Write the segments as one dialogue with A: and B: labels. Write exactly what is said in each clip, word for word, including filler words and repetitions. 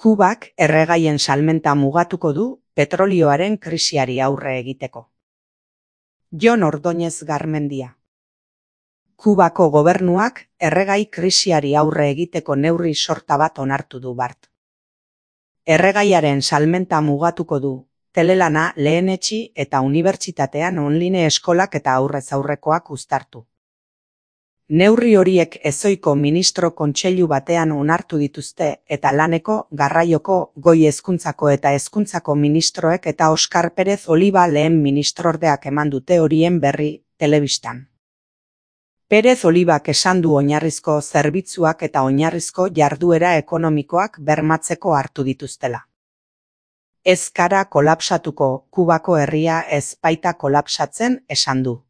A: Kubak erregaien salmenta mugatuko du petrolioaren krisiari aurre egiteko. Jon Ordóñez Garmendia. Kubako gobernuak erregai krisiari aurre egiteko neurri sorta bat onartu du bart. Erregaiaren salmenta mugatuko du, telelana, lehenetsi eta unibertsitatean online eskolak eta aurrez aurrekoak uztartu. Neurri horiek ezoiko ministro kontseilu batean onartu dituzte eta laneko, garraioko, goi hezkuntzako eta hezkuntzako ministroek eta Oskar Perez Oliba lehen ministrordeak eman dute horien berri telebistan. Perez Olibak esan du oinarrizko zerbitzuak eta oinarrizko jarduera ekonomikoak bermatzeko hartu dituztela. Ez gara kolapsatuko, Kubako herria ez baita kolapsatzen esan du.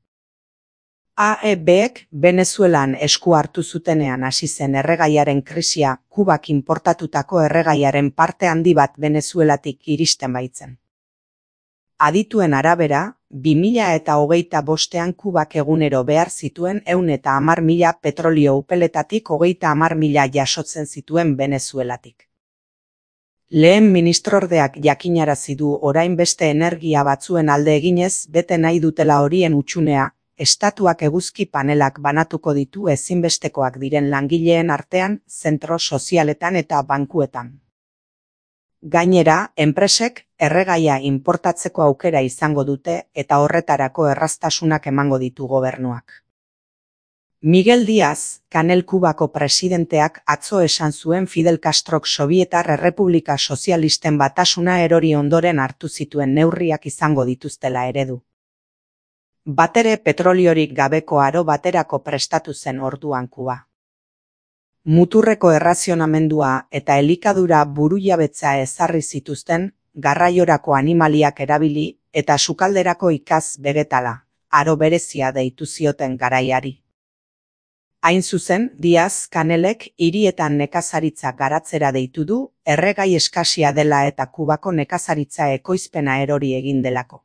A: A E Bek Venezuelan esku hartu zutenean hasi zen erregaiaren krisia, Kubak inportatutako erregaiaren parte handi bat Venezuelatik iristen baitzen. Adituen arabera, bi mila eta hogeita bostean Kubak egunero behar zituen ehun eta hamar mila petrolio upeletatik hogeita hamar mila jasotzen zituen Venezuelatik. Lehen ministrordeak jakinarazi du orain beste energia batzuen alde eginez bete nahi dutela horien hutsunea, estatuak eguzki panelak banatuko ditu ezinbestekoak diren langileen artean, zentro sozialetan eta bankuetan. Gainera, enpresek erregaia inportatzeko aukera izango dute eta horretarako erraztasunak emango ditu gobernuak. Miguel Díaz, Kanel Kubako presidenteak atzo esan zuen Fidel Castrok Sobietar Errepublika Sozialisten batasuna erori ondoren hartu zituen neurriak izango dituztela eredu. Batere petroliorik gabeko aro baterako prestatu zen orduan Kuba. Muturreko errazionamendua eta elikadura burujabetza ezarri zituzten, garraiorako animaliak erabili eta sukalderako ikaz begetala, aro berezia deitu zioten garaiari. Hain zuzen, Díaz Kanelek hirietan nekazaritza garatzera deitu du, erregai eskasia dela eta Kubako nekazaritza ekoizpena erori egin delako.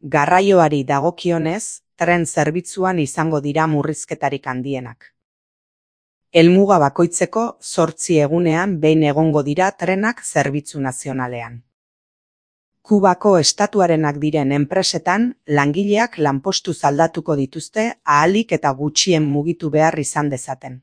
A: Garraioari dagokionez, tren zerbitzuan izango dira murrizketarik handienak. Helmuga bakoitzeko zortzi egunean behin egongo dira trenak zerbitzu nazionalean. Kubako estatuarenak diren enpresetan, langileak lanpostuz aldatuko dituzte ahalik eta gutxien mugitu behar izan dezaten.